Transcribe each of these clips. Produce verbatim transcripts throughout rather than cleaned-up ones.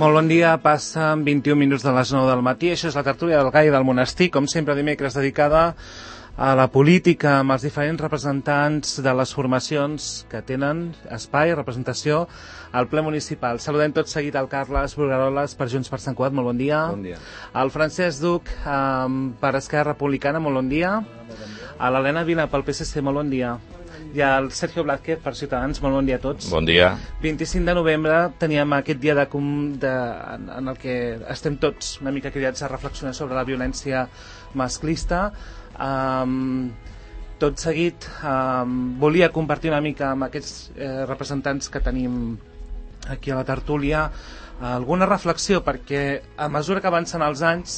Molt bon dia, passen vint-i-un minuts de les nou del matí, això és la tertúlia del Gai del Monestir, com sempre dimecres dedicada a la política amb els diferents representants de les formacions que tenen espai, representació al ple municipal. Saludem tot seguit al Carles Brugaroles per Junts per Sant Cugat, molt bon dia. Bon dia. Al Francesc Duc um, per Esquerra Republicana, molt bon dia. A l'Helena Vila pel P S C, molt bon dia. I al Sergio Blázquez per Ciutadans, molt bon dia a tots. Bon dia. vint-i-cinc de novembre teníem aquest dia de, de, en el que estem tots una mica cridats a reflexionar sobre la violència masclista. Um, tot seguit um, volia compartir una mica amb aquests eh, representants que tenim aquí a la tertúlia alguna reflexió, perquè a mesura que avancen els anys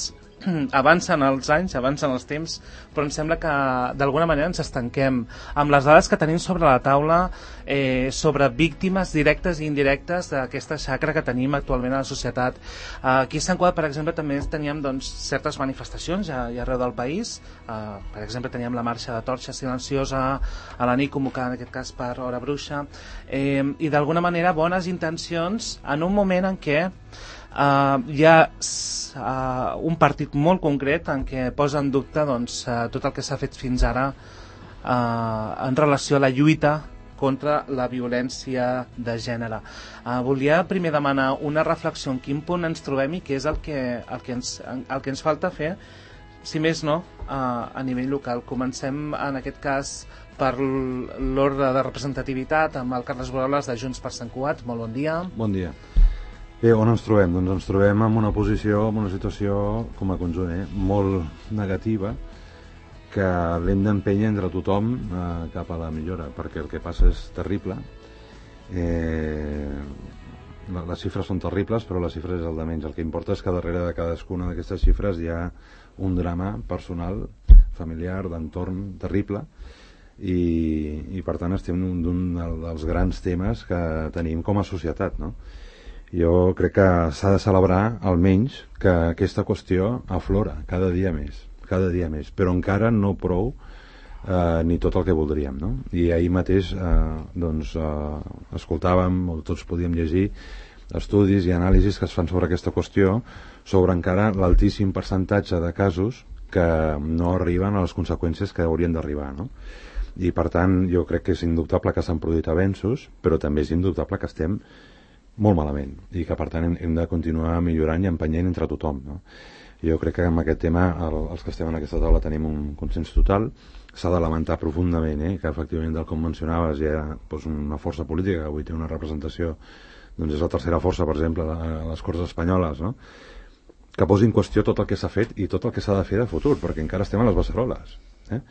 avancen els anys, avancen els temps, però em sembla que d'alguna manera ens estanquem amb les dades que tenim sobre la taula eh, sobre víctimes directes i indirectes d'aquesta xacra que tenim actualment a la societat. Aquí a Sant Cugat, per exemple, també teníem doncs, certes manifestacions ja, ja arreu del país. Uh, per exemple, teníem la marxa de torxa silenciosa a la nit, convocada en aquest cas per Hora Bruixa, eh, i d'alguna manera bones intencions en un moment en què Uh, hi ha uh, un partit molt concret en què posa en dubte doncs, uh, tot el que s'ha fet fins ara uh, en relació a la lluita contra la violència de gènere. Uh, volia primer demanar una reflexió en quin punt ens trobem i què és el que, el que, ens, el que ens falta fer, si més no, uh, a nivell local. Comencem en aquest cas per l'ordre de representativitat amb el Carles Brugaroles de Junts per Sant Cugat. Molt bon dia. Bon dia. Bé, on ens trobem? Doncs ens trobem en una posició, en una situació com a conjunt, eh? molt negativa, que l'hem d'empènyer entre tothom eh, cap a la millora, perquè el que passa és terrible. Eh, les xifres són terribles, però les xifres és el de menys. El que importa és que darrere de cadascuna d'aquestes xifres hi ha un drama personal, familiar, d'entorn terrible, i, i per tant estem en un dels grans temes que tenim com a societat, no? Jo crec que s'ha de celebrar almenys que aquesta qüestió aflora cada dia més, cada dia més, però encara no prou eh, ni tot el que voldríem, no? I ahir mateix eh, doncs, eh, escoltàvem, o tots podíem llegir estudis i anàlisis que es fan sobre aquesta qüestió, sobre encara l'altíssim percentatge de casos que no arriben a les conseqüències que haurien d'arribar, no? I per tant jo crec que és indubtable que s'han produït avenços, però també és indubtable que estem molt malament, i que per tant hem, hem de continuar millorant i empenyent entre tothom, no? Jo crec que amb aquest tema el, els que estem en aquesta taula tenim un consens total. S'ha de lamentar profundament eh, que efectivament, del com mencionaves, hi ha doncs, una força política que avui té una representació, doncs és la tercera força, per exemple, a les Corts Espanyoles, no? Que posi en qüestió tot el que s'ha fet i tot el que s'ha de fer de futur, perquè encara estem a les beceroles, eh?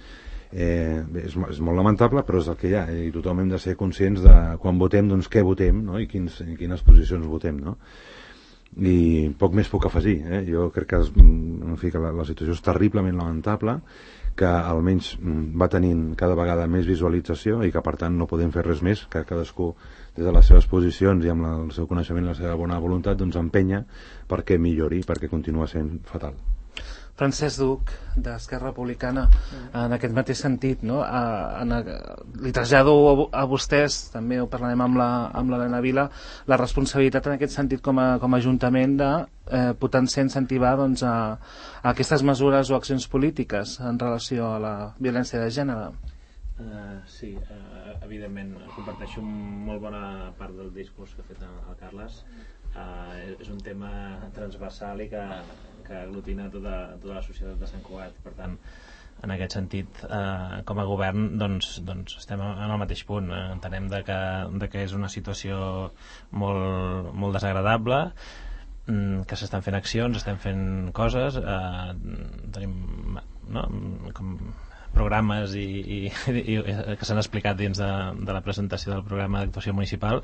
Eh, bé, és, és molt lamentable, però és el que hi ha, i tothom hem de ser conscients de quan votem, doncs què votem, no? I, quins, i quines posicions votem, no? I poc més puc afegir, eh? Jo crec que, es, en fi, que la, la situació és terriblement lamentable, que almenys va tenint cada vegada més visualització i que per tant no podem fer res més que cadascú des de les seves posicions i amb la, el seu coneixement i la seva bona voluntat doncs empenya perquè millori, perquè continua sent fatal. Francesc Duc, d'Esquerra Republicana, en aquest mateix sentit, no? A, a, li trasllado a, a vostès, també ho parlarem amb la, amb l'Helena Vila, la responsabilitat en aquest sentit com a, com a Ajuntament de eh, potenciar, incentivar doncs, a, a aquestes mesures o accions polítiques en relació a la violència de gènere. Uh, sí, uh, evidentment comparteixo molt bona part del discurs que ha fet el Carles. Uh, és un tema transversal i que, que aglutina tota, tota la societat de Sant Cugat. Per tant, en aquest sentit, eh, com a govern doncs, doncs estem en el mateix punt. Eh, entenem de que, de que és una situació molt, molt desagradable, que s'estan fent accions, estem fent coses, eh, tenim no, com programes i, i, i que s'han explicat dins de, de la presentació del programa d'actuació municipal,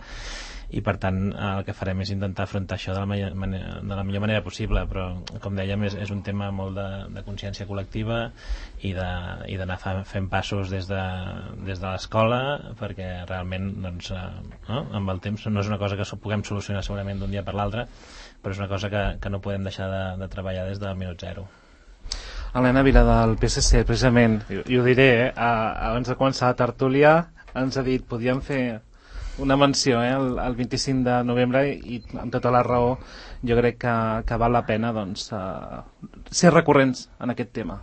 i per tant el que farem és intentar afrontar això de la, manera, de la millor manera possible, però com dèiem és, és un tema molt de, de consciència col·lectiva i d'anar fent passos des de, des de l'escola, perquè realment doncs, no? Amb el temps no és una cosa que puguem solucionar segurament d'un dia per l'altre, però és una cosa que, que no podem deixar de, de treballar des del minut zero. Helena Vila del P S C, precisament, i ho diré, eh? abans de començar la tertúlia ens ha dit, podíem fer una menció, eh, el, el vint-i-cinc de novembre, i amb tota la raó jo crec que, que val la pena doncs, uh, ser recurrents en aquest tema.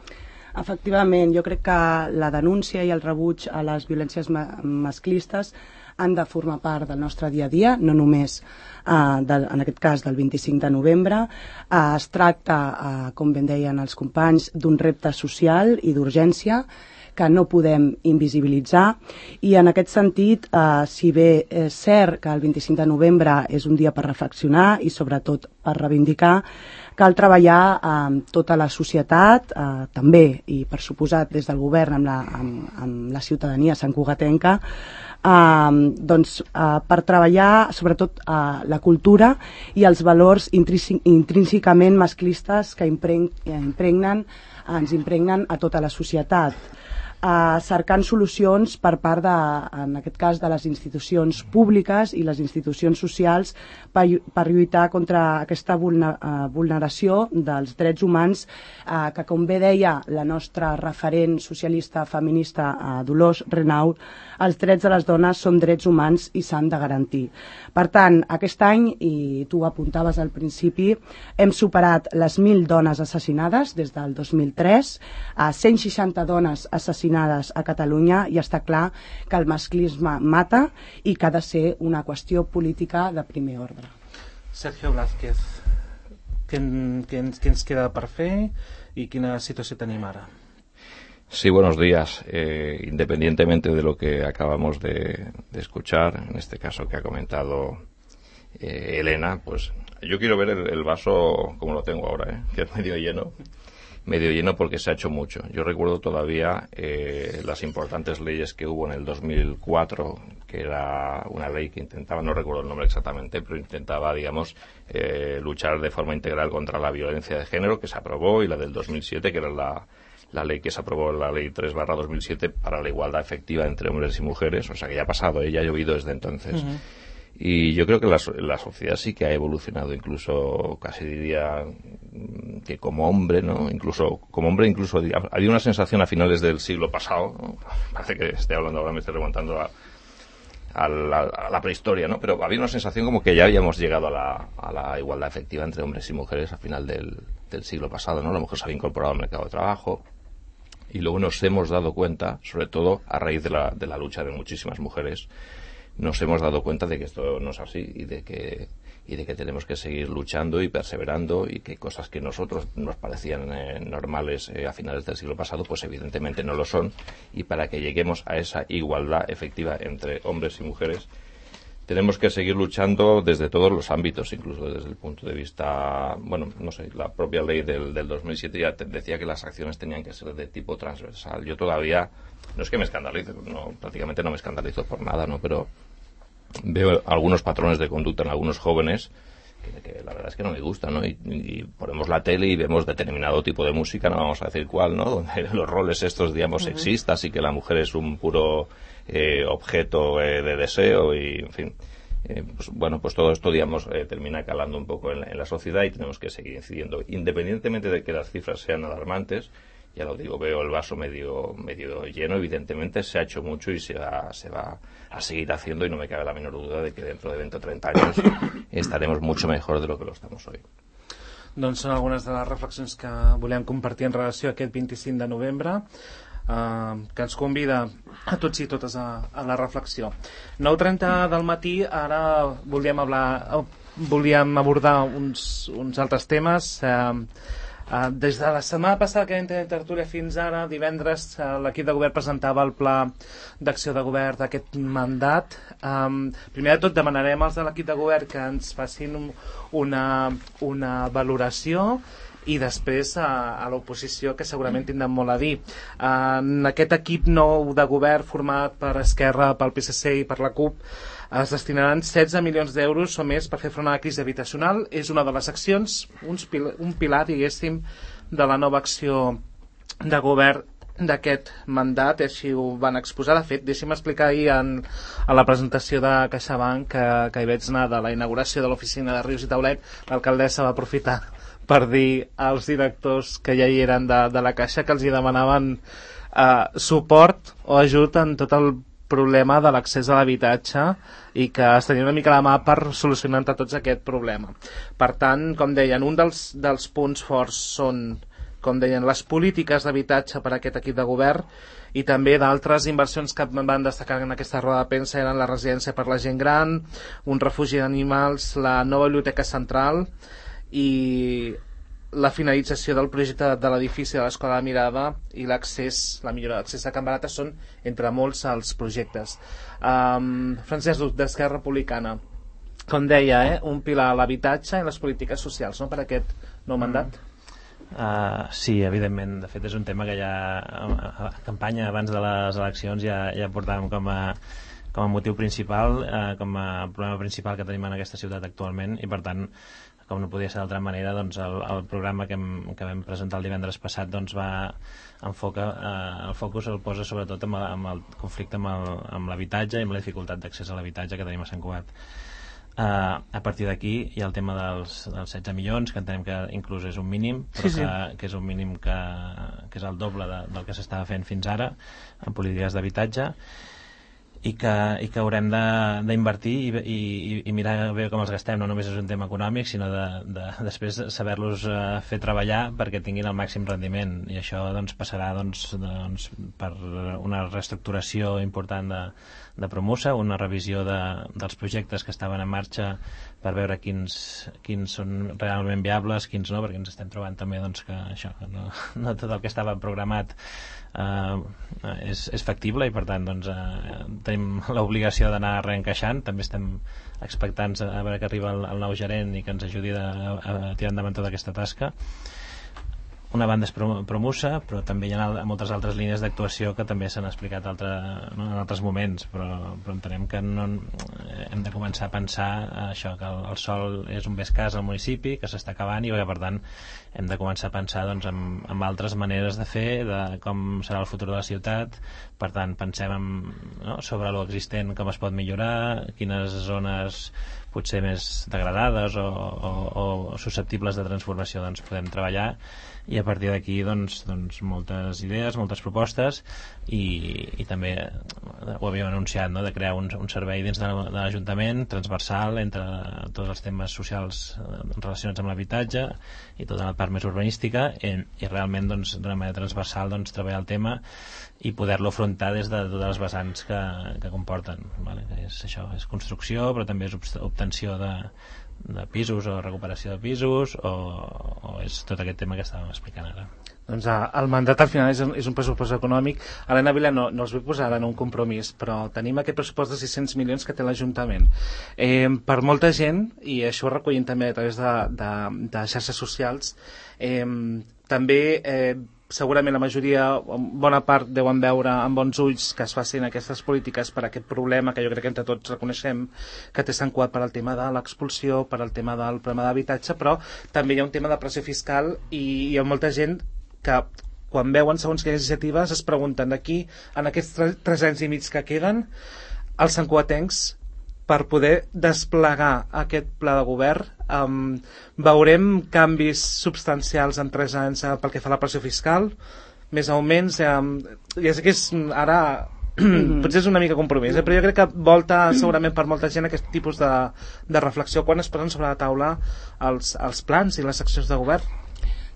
Efectivament, jo crec que la denúncia i el rebuig a les violències ma masclistes han de formar part del nostre dia a dia, no només, eh, de, en aquest cas, del vint-i-cinc de novembre. Eh, es tracta, eh, com ben deien els companys, d'un repte social i d'urgència que no podem invisibilitzar, i en aquest sentit, eh, si bé és cert que el vint-i-cinc de novembre és un dia per reflexionar i sobretot per reivindicar, cal treballar amb tota la societat, eh, també, i per suposat des del govern amb la, amb, amb la ciutadania santcugatenca, eh, doncs, eh, per treballar sobretot eh, la cultura i els valors intrínsecament masclistes que impregnen, ens impregnen a tota la societat. Uh, cercant solucions per part de, en aquest cas, de les institucions públiques i les institucions socials per, per lluitar contra aquesta vulner, uh, vulneració dels drets humans uh, que, com bé deia la nostra referent socialista feminista uh, Dolors Renaud, els drets de les dones són drets humans i s'han de garantir. Per tant, aquest any, i tu ho apuntaves al principi, hem superat les mil dones assassinades des del dos mil tres, a cent seixanta dones assassinades a Catalunya, i està clar que el masclisme mata i que ha de ser una qüestió política de primer ordre. Sergio Blázquez, què, què, què ens queda per fer i quina situació tenim ara? Sí, buenos días. Eh, independientemente de lo que acabamos de, de escuchar, en este caso que ha comentado eh, Elena, pues yo quiero ver el, el vaso como lo tengo ahora, ¿eh? Que es medio lleno. medio lleno porque se ha hecho mucho. Yo recuerdo todavía eh, las importantes leyes que hubo en el dos mil cuatro, que era una ley que intentaba, no recuerdo el nombre exactamente, pero intentaba, digamos, eh, luchar de forma integral contra la violencia de género, que se aprobó, y la del dos mil siete, que era la, la ley que se aprobó, la ley tres barra dos mil siete, para la igualdad efectiva entre hombres y mujeres. O sea que ya ha pasado, ¿eh? Ya ha llovido desde entonces. Uh-huh. Y yo creo que la, la sociedad sí que ha evolucionado, incluso casi diría que como hombre, ¿no? Incluso como hombre, incluso había una sensación a finales del siglo pasado, ¿no? Parece que estoy hablando ahora, me estoy remontando a, a, la, a la prehistoria, ¿no? Pero había una sensación como que ya habíamos llegado a la, a la igualdad efectiva entre hombres y mujeres a final del, del siglo pasado, ¿no? La mujer se había incorporado al mercado de trabajo, y luego nos hemos dado cuenta, sobre todo a raíz de la, de la lucha de muchísimas mujeres, nos hemos dado cuenta de que esto no es así, y de que y de que tenemos que seguir luchando y perseverando, y que cosas que nosotros nos parecían eh, normales eh, a finales del siglo pasado, pues evidentemente no lo son, y para que lleguemos a esa igualdad efectiva entre hombres y mujeres tenemos que seguir luchando desde todos los ámbitos, incluso desde el punto de vista, bueno, no sé, la propia ley del, del dos mil siete ya te decía que las acciones tenían que ser de tipo transversal. Yo todavía, no es que me escandalice, no, prácticamente no me escandalizo por nada, ¿no? Pero veo algunos patrones de conducta en algunos jóvenes que, que la verdad es que no me gustan, ¿no? Y, y ponemos la tele y vemos determinado tipo de música, no vamos a decir cuál, ¿no? Donde los roles estos, digamos, uh-huh. sexistas, y que la mujer es un puro eh, objeto eh, de deseo, y, en fin, eh, pues, bueno, pues todo esto, digamos, eh, termina calando un poco en la, en la sociedad, y tenemos que seguir incidiendo. Independientemente de que las cifras sean alarmantes, ya lo digo, veo el vaso medio medio lleno. Evidentemente se ha hecho mucho y se va, se va a seguir haciendo, y no me cabe la menor duda de que dentro de veinte o treinta años estaremos mucho mejor de lo que lo estamos hoy. Doncs són algunes de les reflexions que volem compartir en relació a aquest vint-i-cinc de novembre, eh, que ens convida a tots i totes a, a la reflexió. nou i trenta del matí, ara volíem, hablar, volíem abordar uns, uns altres temes. Eh, Uh, des de la setmana passada que vam tenir tertúlia fins ara, divendres, uh, l'equip de govern presentava el pla d'acció de govern d'aquest mandat. Um, primer de tot demanarem als de l'equip de govern que ens facin un, una, una valoració, i després a, a l'oposició, que segurament tindran molt a dir. Uh, en aquest equip nou de govern format per Esquerra, pel P S C i per la CUP, es destinaran setze milions d'euros o més per fer front a la crisi habitacional. És una de les accions, uns pil un pilar, diguéssim, de la nova acció de govern d'aquest mandat, així ho van exposar. De fet, deixi'm explicar ahir en, a la presentació de CaixaBank, que, que hi vaig anar, de la inauguració de l'oficina de Rius i Taulet, l'alcaldessa va aprofitar per dir als directors que ja hi eren de, de la Caixa que els hi demanaven eh, suport o ajut en tot el problema de l'accés a l'habitatge i que es tenia una mica la mà per solucionar entre tots aquest problema. Per tant, com deien, un dels, dels punts forts són, com deien, les polítiques d'habitatge per a aquest equip de govern, i també d'altres inversions que van destacar en aquesta roda de premsa eren la residència per la gent gran, un refugi d'animals, la nova biblioteca central i la finalització del projecte de l'edifici de l'Escola de Mirada i l'accés, la millora d'accés a Can Barata són, entre molts, els projectes. Um, Francesc Duc, d'Esquerra Republicana. Com deia, eh, un pilar a l'habitatge i les polítiques socials, no?, per aquest nou mandat. Mm. Uh, sí, evidentment. De fet, és un tema que ja a, a campanya abans de les eleccions ja, ja portàvem com a, com a motiu principal, uh, com a problema principal que tenim en aquesta ciutat actualment, i per tant, com no podia ser d'altra manera, doncs el, el programa que, hem, que vam presentar el divendres passat doncs va enfoca, eh, el focus el posa sobretot amb el, amb el conflicte amb l'habitatge i amb la dificultat d'accés a l'habitatge que tenim a Sant Cugat. Eh, a partir d'aquí hi ha el tema dels, dels setze milions, que entenem que inclús és un mínim, però sí, sí. Que, que és un mínim que, que és el doble de, del que s'estava fent fins ara en polítiques d'habitatge, i que, i que haurem d'invertir i, i, i mirar bé com els gastem. No només és un tema econòmic, sinó de, de després saber-los uh, fer treballar perquè tinguin el màxim rendiment, i això doncs, passarà doncs, doncs, per una reestructuració important de, de Promusa, una revisió de, dels projectes que estaven en marxa per veure quins, quins són realment viables, quins no, perquè ens estem trobant també doncs, que, això, que no, no tot el que estava programat Uh, és, és factible, i per tant doncs, uh, tenim l'obligació d'anar reencaixant. També estem expectants a veure que arriba el, el nou gerent i que ens ajudi a, a, a tirar endavant tota aquesta tasca. Una banda és Promusa, però també hi ha moltes altres línies d'actuació que també s'han explicat altre, no, en altres moments, però, però entenem que no, hem de començar a pensar això, que el, el sòl és un bé escàs al municipi, que s'està acabant, i que per tant hem de començar a pensar doncs, en, en altres maneres de fer, de com serà el futur de la ciutat. Per tant, pensem en, no, sobre l'existent, com es pot millorar, quines zones potser més degradades o, o, o susceptibles de transformació doncs, podem treballar, i a partir d'aquí doncs, doncs moltes idees, moltes propostes, i, i també ho havíem anunciat, no?, de crear un, un servei dins de, de l'Ajuntament transversal entre tots els temes socials relacionats amb l'habitatge i tota la part més urbanística, i, i realment doncs, d'una manera transversal doncs, treballar el tema i poder-lo afrontar des de totes les vessants que, que comporten, vale? És, això, és construcció, però també és obtenció de, de pisos o recuperació de pisos, o, o és tot aquest tema que estàvem explicant ara. Doncs el mandat al final és un, és un pressupost econòmic. Helena Vila, no, no els vull posar en un compromís, però tenim aquest pressupost de sis-cents milions que té l'Ajuntament. Eh, per molta gent, i això ho recollim també a través de, de, de xarxes socials, eh, també eh, segurament la majoria, bona part, deuen veure amb bons ulls que es facin aquestes polítiques per aquest problema que jo crec que entre tots reconeixem que té Sant Cugat per al tema de l'expulsió, per al tema del problema d'habitatge, però també hi ha un tema de pressió fiscal, i hi ha molta gent que quan veuen segons quines iniciatives es pregunten d'aquí, en aquests tres anys i mig que queden, els santcugatencs, per poder desplegar aquest pla de govern, um, veurem canvis substancials en tres anys uh, pel que fa a la pressió fiscal, més augments, um, ja sé que és ara potser és una mica compromís, eh? Però jo crec que volta segurament per molta gent aquest tipus de, de reflexió quan es posen sobre la taula els, els plans i les accions de govern.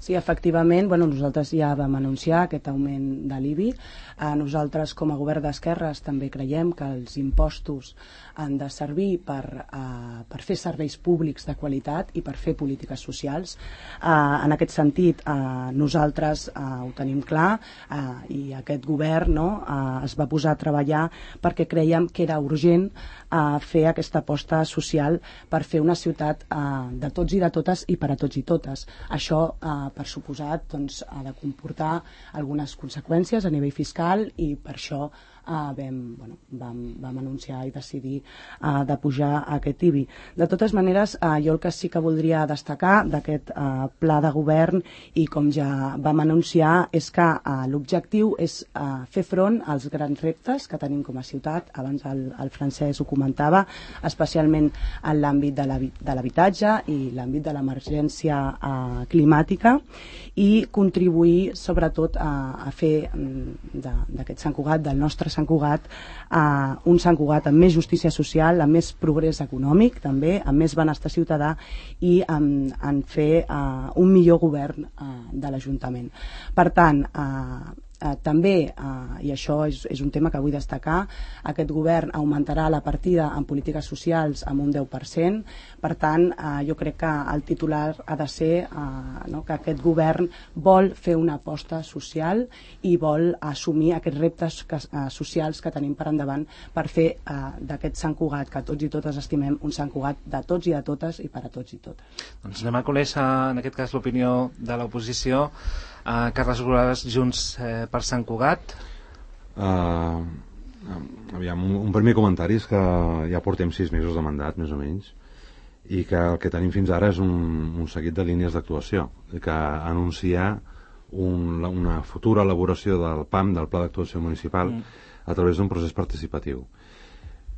Sí, efectivament, bueno, nosaltres ja vam anunciar aquest augment de l'I B I. Eh, nosaltres, com a govern d'esquerres, també creiem que els impostos han de servir per, eh, per fer serveis públics de qualitat i per fer polítiques socials. Eh, en aquest sentit, eh, nosaltres eh, ho tenim clar, eh, i aquest govern, no, eh, es va posar a treballar perquè creiem que era urgent eh, fer aquesta aposta social per fer una ciutat eh, de tots i de totes i per a tots i totes. Això, eh, per suposat, doncs, ha de comportar algunes conseqüències a nivell fiscal, i per això Uh, vam, bueno, vam, vam anunciar i decidir uh, de pujar aquest I B I. De totes maneres, uh, jo el que sí que voldria destacar d'aquest uh, pla de govern, i com ja vam anunciar, és que uh, l'objectiu és uh, fer front als grans reptes que tenim com a ciutat. Abans el, el Francesc ho comentava, especialment en l'àmbit de l'habitatge i l'àmbit de l'emergència uh, climàtica, i contribuir sobretot a, a fer d'aquest Sant Cugat, del nostre Sant Cugat uh, un Sant Cugat amb més justícia social, amb més progrés econòmic també, amb més benestar ciutadà i en, en fer uh, un millor govern uh, de l'Ajuntament. Per tant, uh, Uh, també, uh, i això és, és un tema que vull destacar, aquest govern augmentarà la partida en polítiques socials amb un deu per cent. Per tant, uh, jo crec que el titular ha de ser uh, no, que aquest govern vol fer una aposta social i vol assumir aquests reptes que, uh, socials que tenim per endavant per fer uh, d'aquest Sant Cugat, que tots i totes estimem, un Sant Cugat de tots i de totes i per a tots i totes. Doncs anem a conèixer, en aquest cas, l'opinió de l'oposició. Uh, Carles Borràs, Junts eh, per Sant Cugat. Uh, aviam, un, un primer comentari és que ja portem sis mesos de mandat, més o menys, i que el que tenim fins ara és un, un seguit de línies d'actuació, que anuncia un, una futura elaboració del P A M, del Pla d'Actuació Municipal, mm. a través d'un procés participatiu.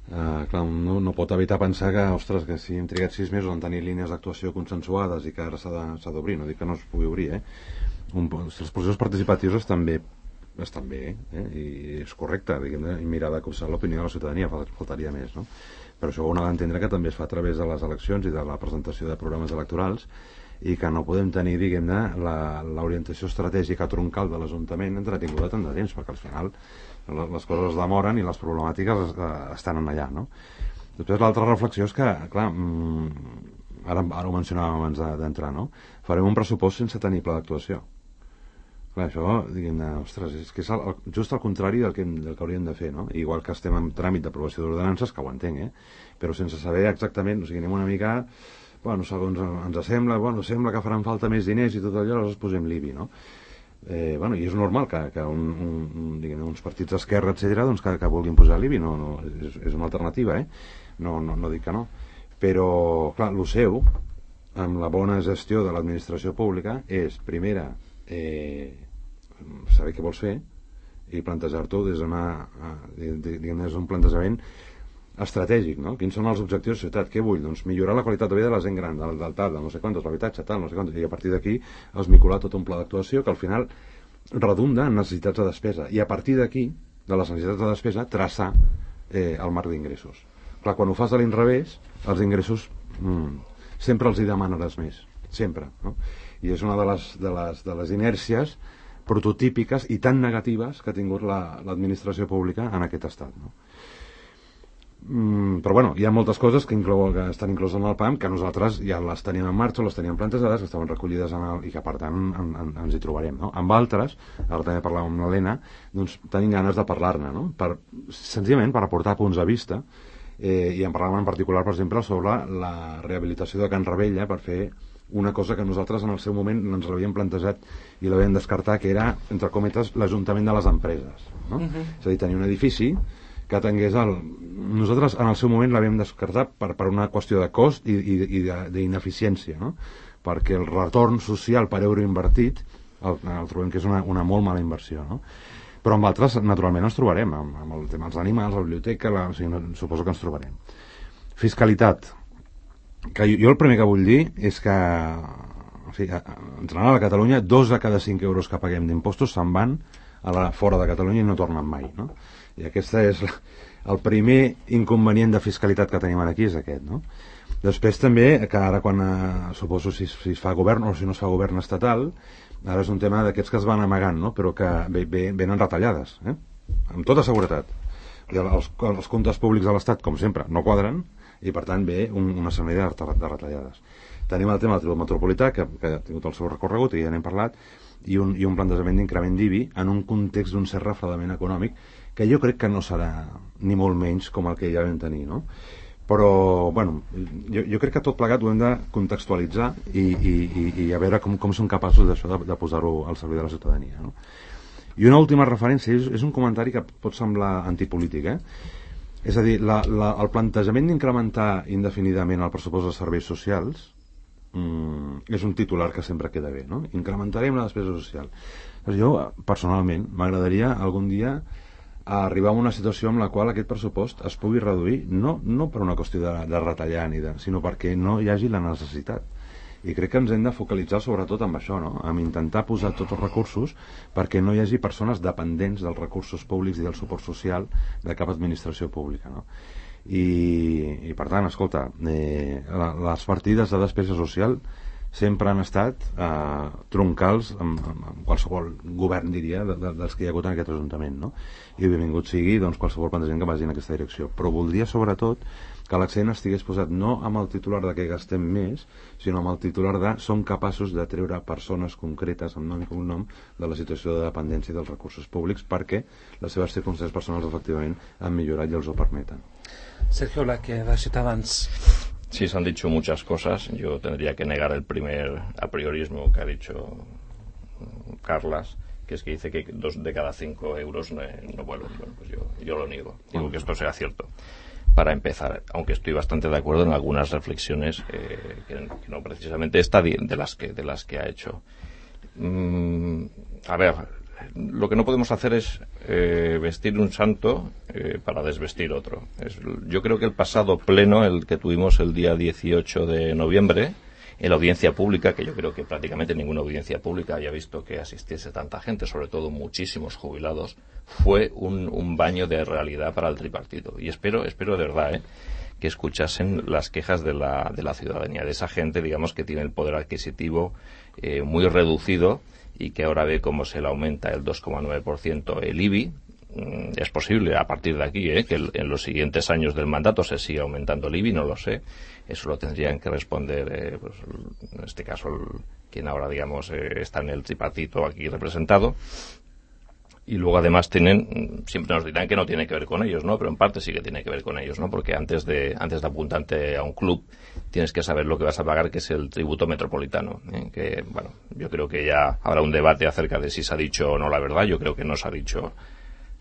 Uh, clar, no, no pot evitar pensar que, ostres, que si hem trigat sis mesos en tenir línies d'actuació consensuades i que ara s'ha d'obrir, no dic que no es pugui obrir, eh? Un, els processos participatius estan bé, estan bé eh? I és correcte, diguem, i mirar de copsar l'opinió de la ciutadania, faltaria més, no? Però això ho ha d'entendre que també es fa a través de les eleccions i de la presentació de programes electorals i que no podem tenir, diguem-ne, l'orientació estratègica troncal de l'Ajuntament entretinguda tant de temps, perquè al final les coses es demoren i les problemàtiques estan allà, no? Després l'altra reflexió és que, clar, ara, ara ho mencionàvem abans d'entrar, no? Farem un pressupost sense tenir pla d'actuació. Clar, això, diguem-ne, ostres, és que és el, just al contrari del que, del que hauríem de fer, no? Igual que estem en tràmit d'aprovació d'ordenances, que ho entenc, eh? Però sense saber exactament, o sigui, anem una mica, bueno, segons ens sembla, bueno, sembla que faran falta més diners i tot allò, llavors posem l'I B I, no? Eh, bueno, i és normal que, que un, un, diguem, uns partits d'esquerra, etcètera, doncs que, que vulguin posar l'I B I, no, no, és, és una alternativa, eh? No, no, no dic que no. Però, clar, el seu, amb la bona gestió de l'administració pública, és, primera, eh, saber què vols fer i plantejar-t'ho des d'un plantejament estratègic, no? Quins són els objectius de ciutat? Què vull? Doncs millorar la qualitat de vida de la gent gran, del, del tal, del no sé quantos, l'habitatge, tal, no sé quantos, i a partir d'aquí esmicolar tot un pla d'actuació que al final redunda en necessitats de despesa, i a partir d'aquí, de les necessitats de despesa, traçar eh, el marc d'ingressos. Clar, quan ho fas de l'inrevés, els ingressos mm, sempre els hi demanaràs més, sempre, no? I és una de les, de les, de les inèrcies prototípiques i tan negatives que ha tingut l'administració la, pública en aquest estat, no? Mm, però bueno, hi ha moltes coses que, inclou, que estan incloses en el P A M que nosaltres ja les teníem en marxa, les teníem plantejades, que estaven recollides en el, i que per tant en, en, ens hi trobarem, no? Amb altres, ara també parlàvem amb l'Helena, doncs tenim ganes de parlar-ne, no? Per, senzillament per aportar punts de vista, eh, i en parlàvem en particular, per exemple, sobre la rehabilitació de Can Ravella per fer una cosa que nosaltres en el seu moment ens l'havíem plantejat i l'havíem descartat, que era, entre cometes, l'Ajuntament de les empreses, no? Uh-huh. És a dir, tenir un edifici que tingués el... Nosaltres en el seu moment l'havíem descartat per, per una qüestió de cost i, i, i d'ineficiència, no? Perquè el retorn social per euro invertit el, el trobem que és una, una molt mala inversió, no? Però amb altres, naturalment, ens trobarem, amb, amb el tema dels animals, la biblioteca, la, o sigui, no, suposo que ens trobarem. Fiscalitat. Que jo, jo el primer que vull dir és que, en fi, en general a Catalunya dos de cada cinc euros que paguem d'impostos se'n van a la, fora de Catalunya i no tornen mai, no? I aquest és la, el primer inconvenient de fiscalitat que tenim aquí, és aquest, no? Després també, que ara quan eh, suposo si, si es fa govern o si no es fa govern estatal, ara és un tema d'aquests que es van amagant, no? Però que ve, ve, venen retallades, eh? Amb tota seguretat. I els, els comptes públics de l'Estat, com sempre, no quadren, i per tant ve un, una sèrie de, de retallades. Tenim el tema del tribut metropolità, que, que ha tingut el seu recorregut i ja n'hem parlat, i un, i un plantejament d'increment d'I B I en un context d'un cert refredament econòmic que jo crec que no serà ni molt menys com el que ja vam tenir, no? Però, bueno, jo, jo crec que tot plegat ho hem de contextualitzar i, i, i, i a veure com, com són capaços d'això de, de posar-ho al servei de la ciutadania, no? I una última referència, és, és un comentari que pot semblar antipolític, eh? És a dir, la, la, el plantejament d'incrementar indefinidament el pressupost de serveis socials mm, és un titular que sempre queda bé, no? Incrementarem la despesa social. Doncs jo, personalment, m'agradaria algun dia arribar a una situació en la qual aquest pressupost es pugui reduir, no, no per una qüestió de, de retallar, ni de, sinó perquè no hi hagi la necessitat. I crec que ens hem de focalitzar sobretot amb això, no? Amb intentar posar tots els recursos perquè no hi hagi persones dependents dels recursos públics i del suport social de cap administració pública, no? I, i per tant, escolta, eh, les partides de despesa social sempre han estat eh, troncals amb, amb qualsevol govern, diria, de, de, dels que hi ha hagut en aquest Ajuntament, no? I benvingut sigui doncs, qualsevol plantejament que vagi en aquesta direcció. Però voldria, sobretot, que l'accent estigués posat no amb el titular de que gastem més, sinó amb el titular de som capaços de treure persones concretes amb nom i cognom de la situació de dependència dels recursos públics perquè les seves circumstàncies personals efectivament han millorat i els ho permeten. Sergio Blaque, de Ciutadans. Sí, se han dicho muchas cosas. Yo tendría que negar el primer apriorismo que ha dicho Carlas, que es que dice que dos de cada cinco euros no, no vuelven. Bueno, pues yo, yo lo niego. Digo que esto sea cierto. Para empezar, aunque estoy bastante de acuerdo en algunas reflexiones eh, que, que no precisamente esta de, de las que de las que ha hecho. Mm, a ver, lo que no podemos hacer es eh, vestir un santo eh, para desvestir otro. Es, yo creo que el pasado pleno, el que tuvimos el día dieciocho de noviembre, en la audiencia pública, que yo creo que prácticamente ninguna audiencia pública haya visto que asistiese tanta gente, sobre todo muchísimos jubilados, fue un, un baño de realidad para el tripartito. Y espero, espero de verdad, ¿eh? que escuchasen las quejas de la, de la ciudadanía, de esa gente, digamos, que tiene el poder adquisitivo eh, muy reducido y que ahora ve cómo se le aumenta el dos coma nueve por ciento el I B I. Es posible a partir de aquí ¿eh? que en los siguientes años del mandato se siga aumentando el I B I, no lo sé. Eso lo tendrían que responder, eh, pues, en este caso, el, quien ahora, digamos, eh, está en el tripartito aquí representado. Y luego, además, tienen, siempre nos dirán que no tiene que ver con ellos, ¿no? Pero en parte sí que tiene que ver con ellos, ¿no? Porque antes de, antes de apuntarte a un club, tienes que saber lo que vas a pagar, que es el tributo metropolitano, ¿eh? Que, bueno, yo creo que ya habrá un debate acerca de si se ha dicho o no la verdad. Yo creo que no se ha dicho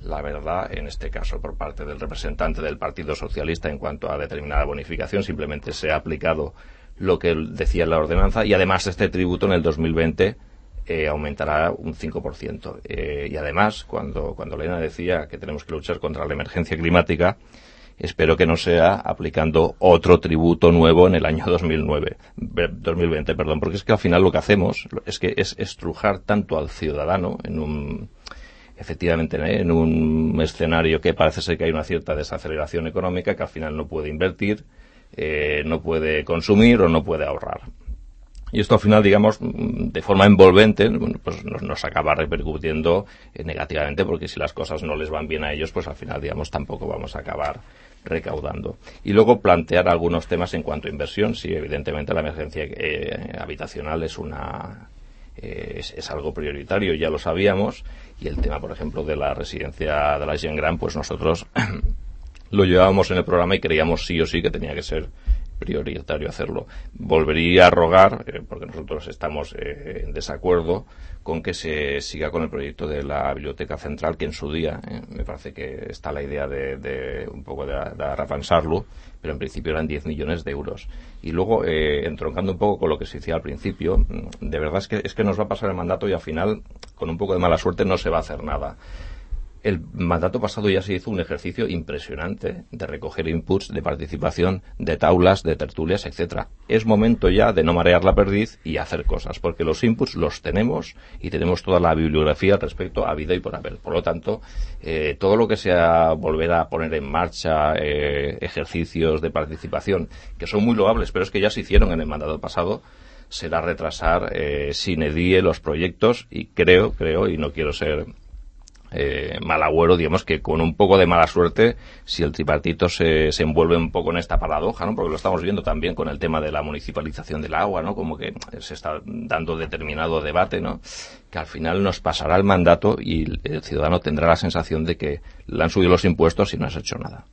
la verdad, en este caso por parte del representante del Partido Socialista en cuanto a determinada bonificación. Simplemente se ha aplicado lo que decía la ordenanza y además este tributo en el dos mil veinte eh, aumentará un cinco por ciento. Eh, y además, cuando, cuando Elena decía que tenemos que luchar contra la emergencia climática, espero que no sea aplicando otro tributo nuevo en el año dos mil nueve, dos mil veinte, perdón, porque es que al final lo que hacemos es que es estrujar tanto al ciudadano en un efectivamente ¿eh? en un escenario que parece ser que hay una cierta desaceleración económica, que al final no puede invertir, eh, no puede consumir o no puede ahorrar. Y esto al final, digamos, de forma envolvente, pues nos, nos acaba repercutiendo eh, negativamente, porque si las cosas no les van bien a ellos, pues al final, digamos, tampoco vamos a acabar recaudando. Y luego plantear algunos temas en cuanto a inversión. Sí, evidentemente la emergencia eh, habitacional es una... Eh, es, es algo prioritario, ya lo sabíamos, y el tema, por ejemplo, de la residencia de la Gent Gran, pues nosotros lo llevábamos en el programa y creíamos sí o sí que tenía que ser prioritario hacerlo. Volvería a rogar, eh, porque nosotros estamos eh, en desacuerdo con que se siga con el proyecto de la Biblioteca Central, que en su día eh, me parece que está la idea de, de un poco de, de arrafansarlo, pero en principio eran diez millones de euros. Y luego, eh, entroncando un poco con lo que se decía al principio, de verdad es que, es que nos va a pasar el mandato y al final, con un poco de mala suerte, no se va a hacer nada. El mandato pasado ya se hizo un ejercicio impresionante de recoger inputs, de participación, de taulas, de tertulias, etcétera. Es momento ya de no marear la perdiz y hacer cosas, porque los inputs los tenemos y tenemos toda la bibliografía al respecto a vida y por haber. Por lo tanto, eh, todo lo que sea volver a poner en marcha eh, ejercicios de participación, que son muy loables, pero es que ya se hicieron en el mandato pasado, será retrasar eh, sine die los proyectos y creo, creo, y no quiero ser Eh, mal agüero, digamos que con un poco de mala suerte, si el tripartito se, se envuelve un poco en esta paradoja, ¿no? Porque lo estamos viendo también con el tema de la municipalización del agua, ¿no? Como que se está dando determinado debate, ¿no? Que al final nos pasará el mandato y el ciudadano tendrá la sensación de que le han subido los impuestos y no has hecho nada.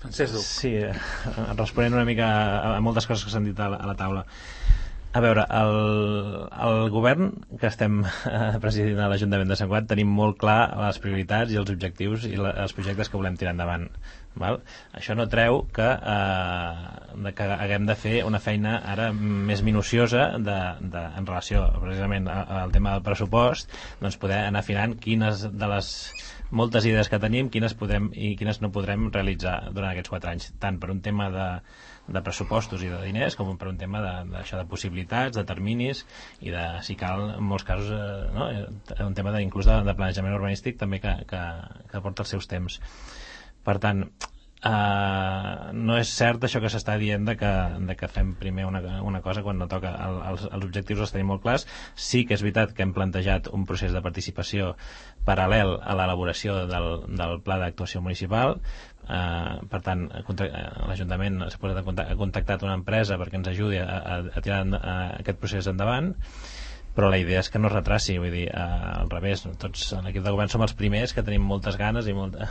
Sí, eh, responent una mica a moltes coses que s'han dit a la, a la taula. A veure, el, el govern que estem presidint a l'Ajuntament de Sant Cugat tenim molt clar les prioritats i els objectius i la, els projectes que volem tirar endavant. Val? Això no treu que, eh, que haguem de fer una feina ara més minuciosa de, de, en relació precisament al tema del pressupost, doncs poder anar afinant quines de les moltes idees que tenim, quines podrem i quines no podrem realitzar durant aquests quatre anys, tant per un tema de, de pressupostos i de diners com per un tema de, de, això, de possibilitats, de terminis i de, si cal, en molts casos eh, no? un tema de, inclús de, de planejament urbanístic també que, que, que porta els seus temps. Per tant, Uh, no és cert això que s'està dient de que, de que fem primer una, una cosa quan no toca. El, els, els objectius els tenim molt clars. Sí que és veritat que hem plantejat un procés de participació paral·lel a l'elaboració del, del pla d'actuació municipal. Uh, per tant, l'Ajuntament s'ha posat en contacte, ha contactat una empresa perquè ens ajudi a, a, a tirar a aquest procés endavant, però la idea és que no es retraci, vull dir, eh, al revés, tots a l'equip de govern som els primers que tenim moltes ganes i molta,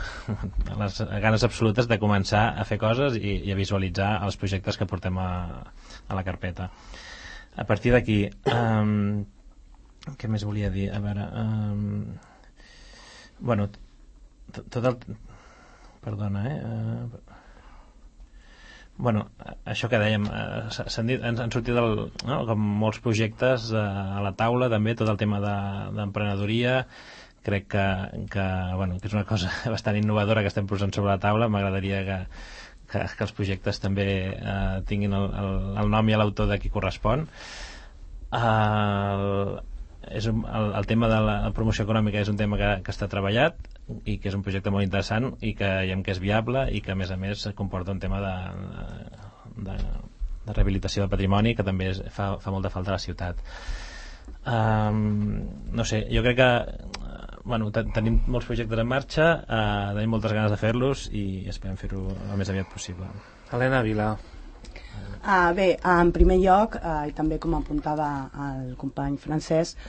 les ganes absolutes de començar a fer coses i, i a visualitzar els projectes que portem a, a la carpeta. A partir d'aquí, um, què més volia dir? A veure, um, bueno, tot el... Perdona, eh? Uh, Bueno, això que dèiem, eh, s'han dit, han, han sortit el, no, com molts projectes eh, a la taula, també tot el tema d'emprenedoria, de, crec que, que, bueno, que és una cosa bastant innovadora que estem posant sobre la taula. M'agradaria que, que, que els projectes també eh, tinguin el, el, el nom i l'autor de qui correspon. El, és un, el, el tema de la promoció econòmica és un tema que, que està treballat i que és un projecte molt interessant i que veiem que és viable i que a més a més comporta un tema de, de, de rehabilitació del patrimoni que també és, fa, fa molta falta a la ciutat. Um, no sé, jo crec que bueno, tenim molts projectes en marxa, uh, tenim moltes ganes de fer-los i esperem fer-ho el més aviat possible. Helena Vila. Uh, bé, en primer lloc, uh, i també com apuntava el company Francesc,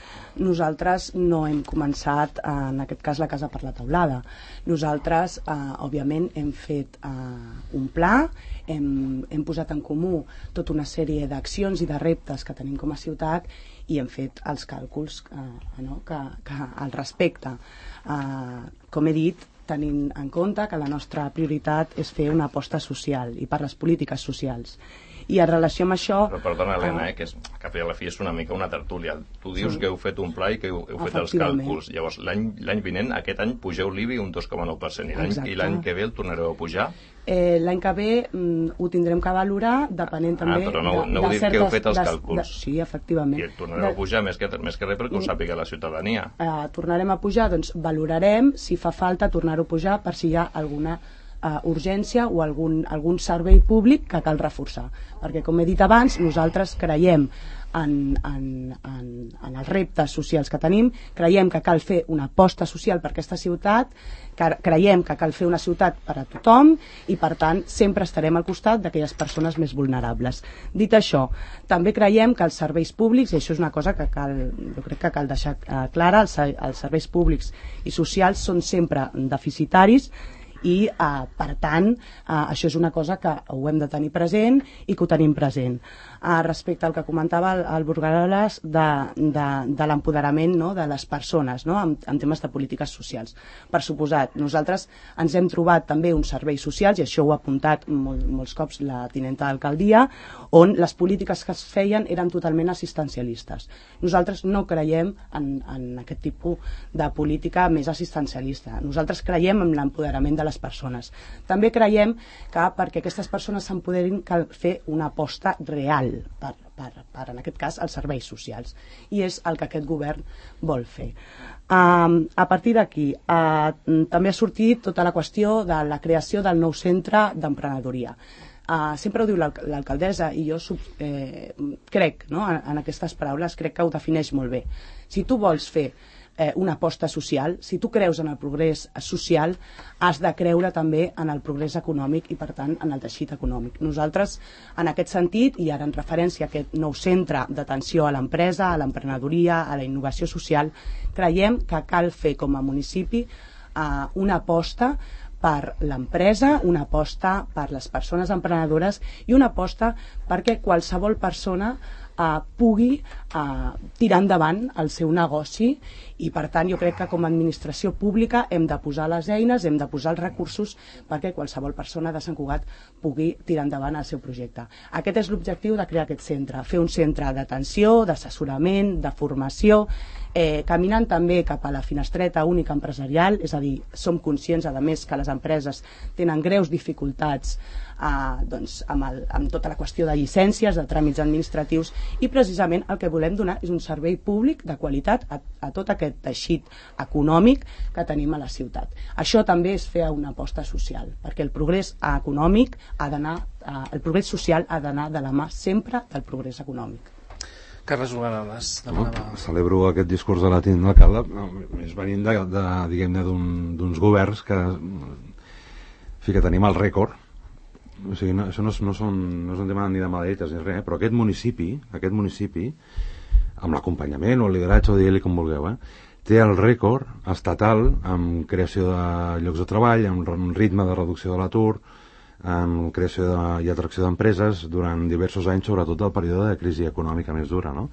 nosaltres no hem començat, uh, en aquest cas, la Casa per la Teulada. Nosaltres, uh, òbviament, hem fet uh, un pla, hem, hem posat en comú tota una sèrie d'accions i de reptes que tenim com a ciutat i hem fet els càlculs uh, no? que, que al respecte. Uh, com he dit, tenint en compte que la nostra prioritat és fer una aposta social i per les polítiques socials. I en relació amb això... Però perdona, Helena, eh, que és, que a la fi és una mica una tertúlia. Tu dius sí. que heu fet un pla i que heu, heu fet els càlculs. Llavors, l'any vinent, aquest any, pugeu l'I B I un dos coma nou per cent i l'any que ve el tornareu a pujar? Eh, l'any que ve mm, ho tindrem que valorar depenent també... Ah, però no, de, no heu de dit certes, que heu fet els de, càlculs. De, sí, efectivament. I el tornareu de, a pujar més que, més que res perquè ho sàpiga la ciutadania. Eh, tornarem a pujar, doncs valorarem si fa falta tornar-ho a pujar per si hi ha alguna Uh, urgència o algun, algun servei públic que cal reforçar, perquè com he dit abans nosaltres creiem en, en, en, en els reptes socials que tenim, creiem que cal fer una aposta social per aquesta ciutat, que creiem que cal fer una ciutat per a tothom i per tant sempre estarem al costat d'aquelles persones més vulnerables. Dit això, també creiem que els serveis públics, i això és una cosa que cal, jo crec que cal deixar uh, clara, els, els serveis públics i socials són sempre deficitaris i uh, per tant uh, això és una cosa que ho hem de tenir present i que ho tenim present. Uh, respecte al que comentava el, el Burgaroles de, de, de l'empoderament, no?, de les persones, no?, en, en temes de polítiques socials. Per suposat, nosaltres ens hem trobat també uns serveis socials, i això ho ha apuntat molt, molts cops la tinenta d'alcaldia, on les polítiques que es feien eren totalment assistencialistes. Nosaltres no creiem en, en aquest tipus de política més assistencialista. Nosaltres creiem en l'empoderament de les persones. També creiem que perquè aquestes persones s'empoderin cal fer una aposta real per, per, per, en aquest cas, els serveis socials. I és el que aquest govern vol fer. Um, a partir d'aquí, uh, també ha sortit tota la qüestió de la creació del nou centre d'emprenedoria. Uh, sempre ho diu l'alcaldessa i jo eh, crec, no, en, en aquestes paraules, crec que ho defineix molt bé. Si tu vols fer Eh, una aposta social, si tu creus en el progrés social, has de creure també en el progrés econòmic i, per tant, en el teixit econòmic. Nosaltres, en aquest sentit, i ara en referència a aquest nou centre d'atenció a l'empresa, a l'emprenedoria, a la innovació social, creiem que cal fer com a municipi eh, una aposta per l'empresa, una aposta per les persones emprenedores i una aposta perquè qualsevol persona Uh, pugui uh, tirar endavant el seu negoci i per tant jo crec que com a administració pública hem de posar les eines, hem de posar els recursos perquè qualsevol persona de Sant Cugat pugui tirar endavant el seu projecte. Aquest és l'objectiu de crear aquest centre, fer un centre d'atenció, d'assessorament, de formació, Eh, caminant també cap a la finestreta única empresarial, és a dir, som conscients, a més, que les empreses tenen greus dificultats eh, doncs, amb, el, amb tota la qüestió de llicències, de tràmits administratius, i precisament el que volem donar és un servei públic de qualitat a, a tot aquest teixit econòmic que tenim a la ciutat. Això també és fer una aposta social, perquè el progrés econòmic ha d'anar, eh, el progrés social ha d'anar de la mà sempre del progrés econòmic. Carles Uganes demanava... No, celebro aquest discurs de la tinent d'alcalde, no, més venint de, de, diguem-ne, d'uns un, governs que, fi, que tenim el rècord. O sigui, no, això no és, no, són, no és un tema ni de maletes ni res, però aquest municipi, aquest municipi, amb l'acompanyament o el lideratge, o digueu-li com vulgueu, eh, té el rècord estatal amb creació de llocs de treball, amb un ritme de reducció de l'atur, amb creació de, i atracció d'empreses durant diversos anys, sobretot del període de crisi econòmica més dura, no?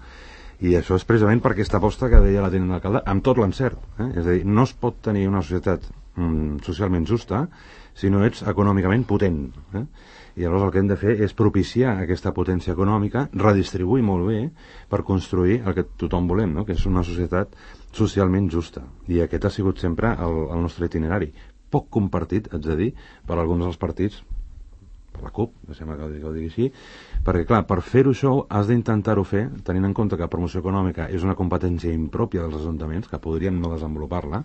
I això és precisament per aquesta aposta que deia la tinent d'alcalde, amb tot l'encert, eh? És a dir, no es pot tenir una societat mm, socialment justa si no ets econòmicament potent, eh? I llavors el que hem de fer és propiciar aquesta potència econòmica, redistribuir molt bé per construir el que tothom volem, no? Que és una societat socialment justa, i aquest ha sigut sempre el, el nostre itinerari, poc compartit, haig de dir, per alguns dels partits, per la CUP, sembla que ho, que ho digui així, perquè clar, per fer-ho això has d'intentar-ho fer tenint en compte que promoció econòmica és una competència impròpia dels ajuntaments, que podrien no desenvolupar-la,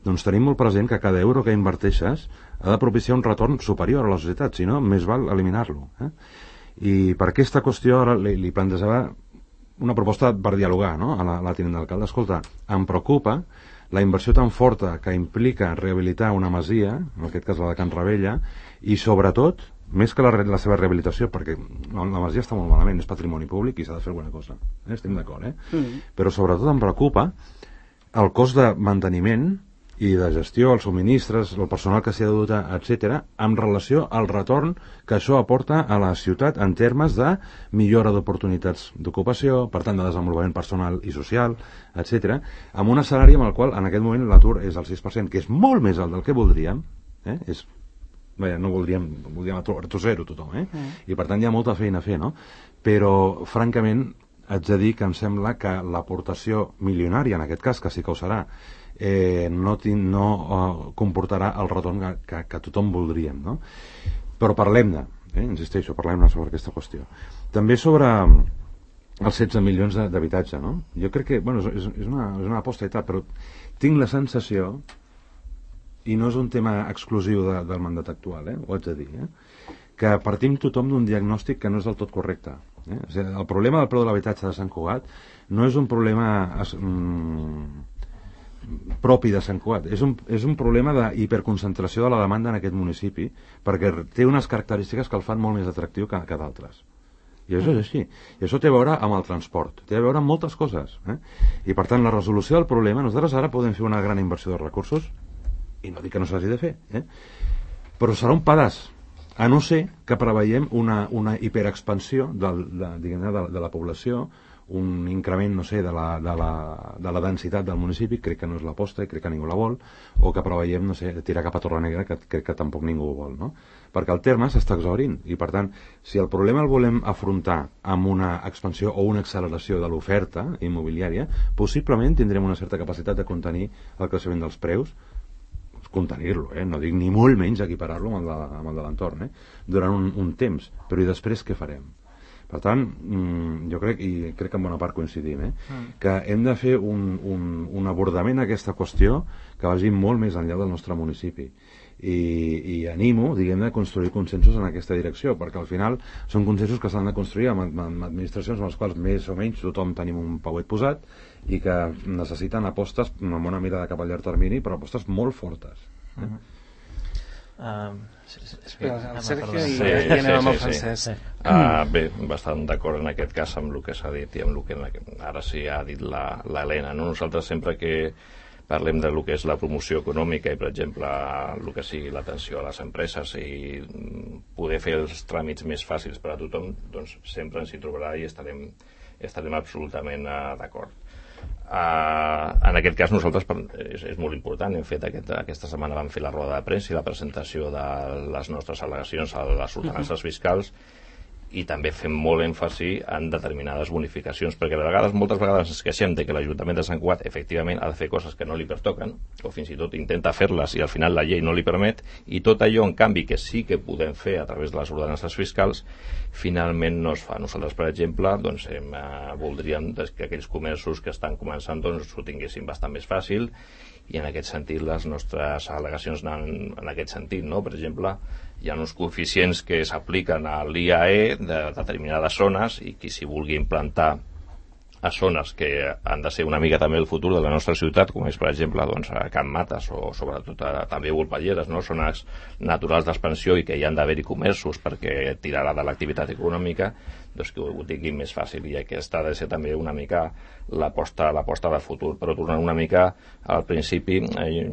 doncs tenim molt present que cada euro que inverteixes ha de propiciar un retorn superior a la societat, si no, més val eliminar-lo. Eh? I per aquesta qüestió ara li, li plantejava una proposta per dialogar, no?, a la, a la tinent d'alcalde. Escolta, em preocupa la inversió tan forta que implica rehabilitar una masia, en aquest cas la de Can Ravella, i sobretot, més que la, la seva rehabilitació, perquè la, la masia està molt malament, és patrimoni públic i s'ha de fer alguna cosa, eh? Estem d'acord, eh? Mm. Però sobretot em preocupa el cost de manteniment i de gestió, els subministres, el personal que s'hi ha de dotar, etcètera, en relació al retorn que això aporta a la ciutat en termes de millora d'oportunitats d'ocupació, per tant de desenvolupament personal i social, etcètera, amb un escenari amb el qual en aquest moment l'atur és el sis per cent, que és molt més alt del que voldríem, eh? És, vaja, no voldríem, voldríem atur, atur zero tothom, eh? Mm. I per tant hi ha molta feina a fer, no? Però, francament, haig de dir que em sembla que l'aportació milionària, en aquest cas, que sí que ho serà, eh, no, tin, no uh, comportarà el retorn que, que, que tothom voldríem, no? Però parlem-ne, eh? Insisteixo, parlem-ne sobre aquesta qüestió. També sobre els setze milions d'habitatge, no? Jo crec que, bueno, és, és, una, és una aposta i tal, però tinc la sensació, i no és un tema exclusiu de, del mandat actual, eh? Ho haig de dir, eh? Que partim tothom d'un diagnòstic que no és del tot correcte. Eh? O sigui, el problema del preu de l'habitatge de Sant Cugat no és un problema mm, propi de Sant Cugat, és un, és un problema d'hiperconcentració de la demanda en aquest municipi, perquè té unes característiques que el fan molt més atractiu que, que d'altres. I això és així. I això té a veure amb el transport, té a veure amb moltes coses. Eh? I per tant, la resolució del problema, nosaltres ara podem fer una gran inversió de recursos, i no dic que no s'hagi de fer, eh? Però serà un pedaç, a no ser que preveiem una, una hiperexpansió del, de, diguem-ne, de, de la població, un increment, no sé, de la, de, la, de la densitat del municipi, crec que no és l'aposta i crec que ningú la vol, o que preveiem, no sé, tirar cap a Torrenegra, que crec que tampoc ningú ho vol, no? Perquè el terme s'està exhaurint, i per tant, si el problema el volem afrontar amb una expansió o una acceleració de l'oferta immobiliària, possiblement tindrem una certa capacitat de contenir el creixement dels preus, contenir-lo, eh? No dic ni molt menys equiparar-lo amb el de, amb el de l'entorn, eh? Durant un, un temps, però i després què farem? Per tant, jo crec, i crec que en bona part coincidim, eh? Mm. que hem de fer un, un, un abordament a aquesta qüestió que vagi molt més enllà del nostre municipi. I, i animo, diguem-ne, a construir consensos en aquesta direcció, perquè al final són consensos que s'han de construir amb, amb administracions amb les quals més o menys tothom tenim un pauet posat i que necessiten apostes amb una mirada cap al llarg termini, però apostes molt fortes. Eh? Mm-hmm. Uh, el Sergio i, sí, i anem amb el Francesc. Sí, sí. Uh, bé, bastant d'acord en aquest cas amb el que s'ha dit i amb el que ara sí ha dit l'Helena, no? Nosaltres sempre que parlem de lo que és la promoció econòmica i, per exemple, el que sigui l'atenció a les empreses i poder fer els tràmits més fàcils per a tothom, doncs sempre ens hi trobarà i estarem, estarem absolutament uh, d'acord. Uh, en aquest cas nosaltres és, és molt important, hem fet aquest, aquesta setmana vam fer la roda de premsa i la presentació de les nostres al·legacions a les ordenances fiscals i també fem molt èmfasi en determinades bonificacions, perquè a vegades, moltes vegades ens queixem de que l'Ajuntament de Sant Cugat efectivament ha de fer coses que no li pertoquen, o fins i tot intenta fer-les i al final la llei no li permet, i tot allò, en canvi, que sí que podem fer a través de les ordenances fiscals, finalment no es fa. Nosaltres, per exemple, doncs, hem, eh, voldríem que aquells comerços que estan començant doncs, ho tinguessin bastant més fàcil, i en aquest sentit les nostres al·legacions anaven en aquest sentit, no? Per exemple, hi ha uns coeficients que s'apliquen a l'I A E de determinades zones i qui s'hi vulgui implantar a zones que han de ser una mica també el futur de la nostra ciutat, com és per exemple doncs, a Can Mates o sobretot a, també a Volpelleres, no? Zones naturals d'expansió i que hi han d'haver-hi comerços perquè tirarà de l'activitat econòmica, doncs que ho tinguin més fàcil, i aquesta ha de ser també una mica l'aposta l'aposta de futur. Però tornant una mica al principi, eh,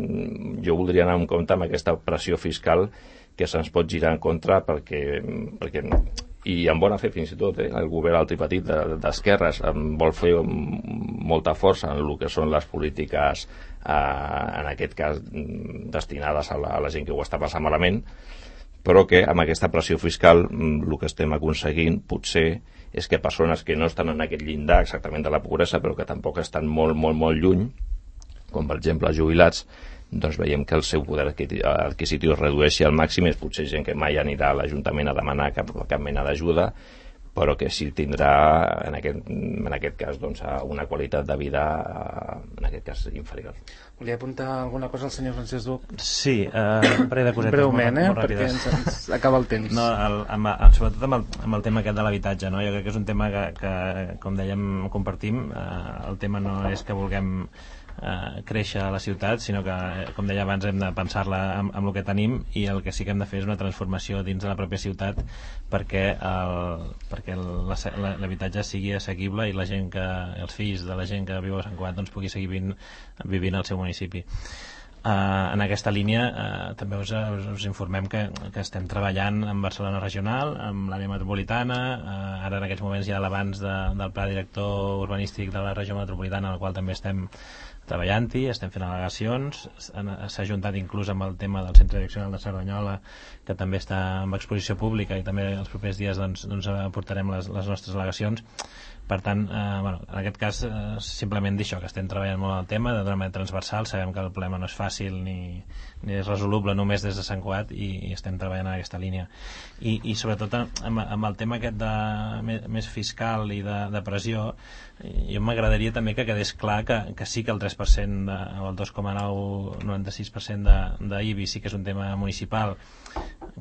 jo voldria anar en compte amb aquesta pressió fiscal que se'ns pot girar en contra perquè, perquè i amb bona fe fins i tot, eh, el govern al tripartit d'esquerres vol fer molta força en el que són les polítiques, eh, en aquest cas destinades a la, a la gent que ho està passant malament, però que amb aquesta pressió fiscal el que estem aconseguint potser és que persones que no estan en aquest llindar exactament de la pobresa, però que tampoc estan molt, molt, molt lluny, com per exemple els jubilats, doncs veiem que el seu poder adquisitiu es redueixi al màxim. És potser gent que mai anirà a l'Ajuntament a demanar cap, cap mena d'ajuda, però que sí tindrà en aquest, en aquest cas doncs, una qualitat de vida en aquest cas inferior. Volia apuntar alguna cosa al senyor Francesc Duc? Sí, eh, un parell de cosetes breument, molt, eh, molt perquè ens, ens acaba el temps. No, el, amb, sobretot amb el, amb el tema aquest de l'habitatge, no? Jo crec que és un tema que, que com dèiem, compartim. Eh, el tema no és que vulguem Eh, créixer a la ciutat, sinó que, com deia abans, hem de pensar-la amb, amb el que tenim, i el que sí que hem de fer és una transformació dins de la pròpia ciutat perquè el, perquè l'habitatge sigui assequible i la gent que, els fills de la gent que viu a Sant Cugat doncs, pugui seguir vivint, vivint al seu municipi. Uh, en aquesta línia uh, també us, us, us informem que, que estem treballant en Barcelona Regional, amb l'àrea metropolitana. Uh, ara en aquests moments hi ha l'abans de, del pla director urbanístic de la regió metropolitana, en el qual també estem treballant-hi, estem fent al·legacions. S'ha juntat inclús amb el tema del Centre Direccional de Cerdanyola, que també està en exposició pública, i també els propers dies doncs, doncs aportarem les, les nostres al·legacions. Per tant, eh, bueno, en aquest cas eh, simplement dir això, que estem treballant molt el tema d'una manera transversal. Sabem que el problema no és fàcil ni, ni és resoluble només des de Sant Cugat, i, i estem treballant en aquesta línia. I, i sobretot amb, amb el tema aquest de, més, més fiscal i de, de pressió, jo m'agradaria també que quedés clar que, que sí que el tres per cent de, o el dos coma noranta-sis per cent d'I B I sí que és un tema municipal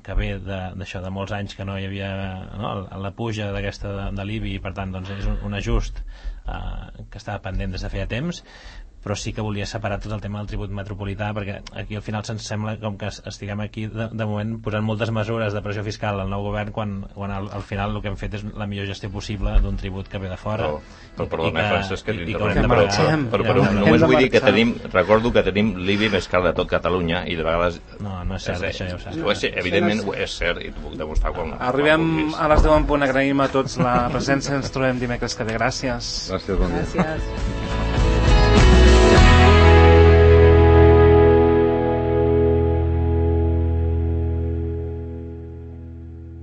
que ve d'això, de, de molts anys que no hi havia, no, la puja d'aquesta de, de l'I B I, i per tant doncs, és un, un ajust eh, que estava pendent des de feia temps, però sí que volia separar tot el tema del tribut metropolità, perquè aquí al final se'ns sembla com que estiguem aquí de, de moment posant moltes mesures de pressió fiscal al nou govern, quan, quan al, al final el que hem fet és la millor gestió possible d'un tribut que ve de fora. Però, però perdona, Francesc, que t'interrompem, però, però, però, però només vull dir que tenim, recordo que tenim l'I B I més car de tot Catalunya, i de vegades... No, no és cert, és, això ja ho saps. No, és, evidentment és cert, i t'ho puc demostrar quan... Arribem a les deu en punt, agraïm a tots la presència, ens trobem dimecres que ve. Gràcies. Gràcies, bon dia. Gràcies.